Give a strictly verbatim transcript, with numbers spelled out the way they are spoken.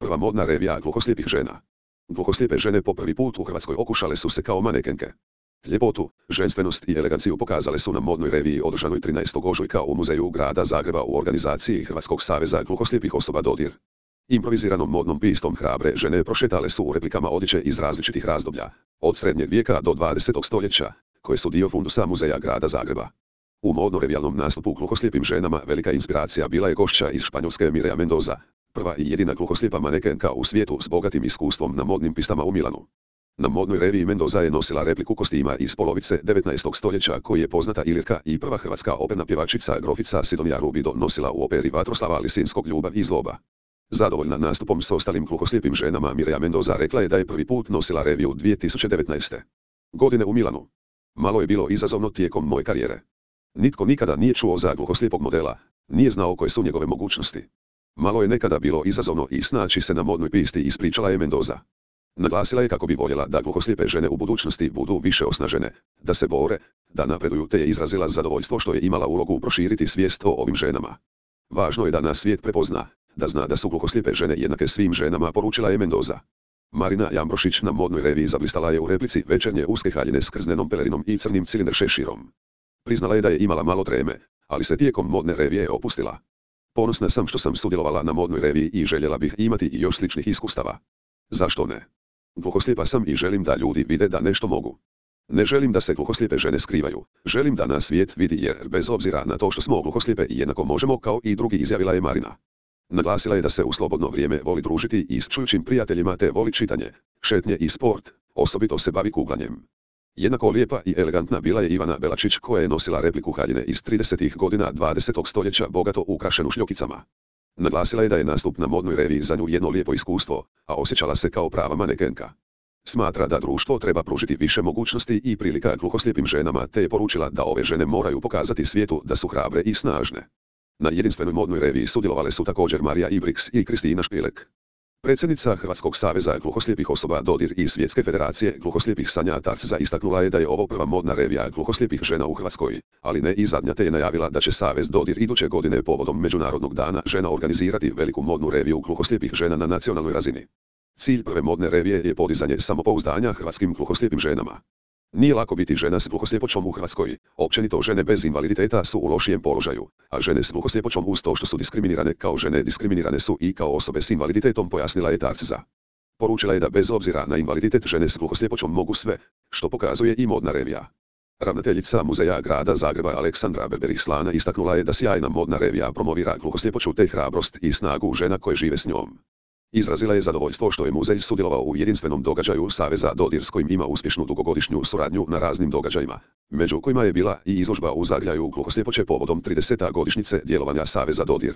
prva modna revija gluhoslijepih žena. Gluhoslijepe žene po prvi put u Hrvatskoj okušale su se kao manekenke. Ljepotu, ženstvenost i eleganciju pokazale su na modnoj reviji održanoj trinaestog ožujka u Muzeju grada Zagreba u organizaciji Hrvatskog saveza gluhoslijepih osoba Dodir. Improviziranom modnom pistom hrabre žene prošetale su u replikama odjeće iz različitih razdoblja, od srednjeg vijeka do dvadesetog stoljeća, koje su dio fundusa Muzeja grada Zagreba. U modno-revijalnom nastupu gluhoslijepim ženama velika inspiracija bila je gošća iz Španjolske Mireia Mendoza, prva i jedina gluhoslijepa manekenka u svijetu s bogatim iskustvom na modnim pistama u Milanu. Na modnoj reviji Mendoza je nosila repliku kostima iz polovice devetnaestog stoljeća koji je poznata Ilirka i prva hrvatska operna pjevačica grofica Sidonija Rubido nosila u operi Vatroslava Lisinskog Ljubav i zloba. Zadovoljna nastupom s ostalim gluhoslijepim ženama Mireia Mendoza rekla je da je prvi put nosila reviju dvije tisuće devetnaeste. godine u Milanu. Malo je bilo izazovno tijekom moje karijere. Nitko nikada nije čuo za gluhoslijepog modela, nije znao koje su njegove mogućnosti. Malo je nekada bilo izazovno i snaći se na modnoj pisti, ispričala je Mendoza. Naglasila je kako bi voljela da gluhoslijepe žene u budućnosti budu više osnažene, da se bore, da napreduju, te je izrazila zadovoljstvo što je imala ulogu proširiti svijest o ovim ženama. Važno je da nas svijet prepozna, da zna da su gluhoslijepe žene jednake svim ženama, poručila je Mendoza. Marina Jambrošić na modnoj reviji zablistala je u replici večernje uske haljine s krznenom pelerinom i crnim cilindar šeširom. Priznala je da je imala malo treme, ali se tijekom modne revije opustila. Ponosna sam što sam sudjelovala na modnoj reviji i željela bih imati i još sličnih iskustava. Zašto ne? Gluhoslijepa sam i želim da ljudi vide da nešto mogu. Ne želim da se gluhoslijepe žene skrivaju, želim da nas svijet vidi, jer bez obzira na to što smo gluhoslijepe jednako možemo kao i drugi, izjavila je Marina. Naglasila je da se u slobodno vrijeme voli družiti i s čujućim prijateljima te voli čitanje, šetnje i sport, osobito se bavi kuglanjem. Jednako lijepa i elegantna bila je Ivana Belačić koja je nosila repliku haljine iz tridesetih godina dvadesetog stoljeća bogato ukrašenu šljokicama. Naglasila je da je nastup na modnoj reviji za nju jedno lijepo iskustvo, a osjećala se kao prava manekenka. Smatra da društvo treba pružiti više mogućnosti i prilika gluhoslijepim ženama, te je poručila da ove žene moraju pokazati svijetu da su hrabre i snažne. Na jedinstvenoj modnoj reviji sudjelovale su također Marija Ibriks i Kristina Špilek. Predsjednica Hrvatskog saveza gluhoslijepih osoba Dodir i Svjetske federacije gluhoslijepih Sanja Tarcza istaknula je da je ovo prva modna revija gluhoslijepih žena u Hrvatskoj, ali ne i zadnja, te je najavila da će Savez Dodir iduće godine povodom Međunarodnog dana žena organizirati veliku modnu reviju gluhoslijepih žena na nacionalnoj razini. Cilj prve modne revije je podizanje samopouzdanja hrvatskim gluhoslijepim ženama. Nije lako biti žena s gluhosljepoćom u Hrvatskoj, općenito žene bez invaliditeta su u lošijem položaju, a žene s gluhosljepoćom uz to što su diskriminirane kao žene diskriminirane su i kao osobe s invaliditetom, pojasnila je Tarcza. Poručila je da bez obzira na invaliditet žene s gluhosljepoćom mogu sve, što pokazuje i modna revija. Ravnateljica Muzeja grada Zagreba Aleksandra Berberih Slana istaknula je da sjajna modna revija promovira gluhosljepoću te hrabrost i snagu žena koje žive s njom. Izrazila je zadovoljstvo što je muzej sudjelovao u jedinstvenom događaju Saveza Dodir s kojim ima uspješnu dugogodišnju suradnju na raznim događajima, među kojima je bila i izložba u Zagljaju gluhoslijepoće povodom tridesete godišnjice djelovanja Saveza Dodir.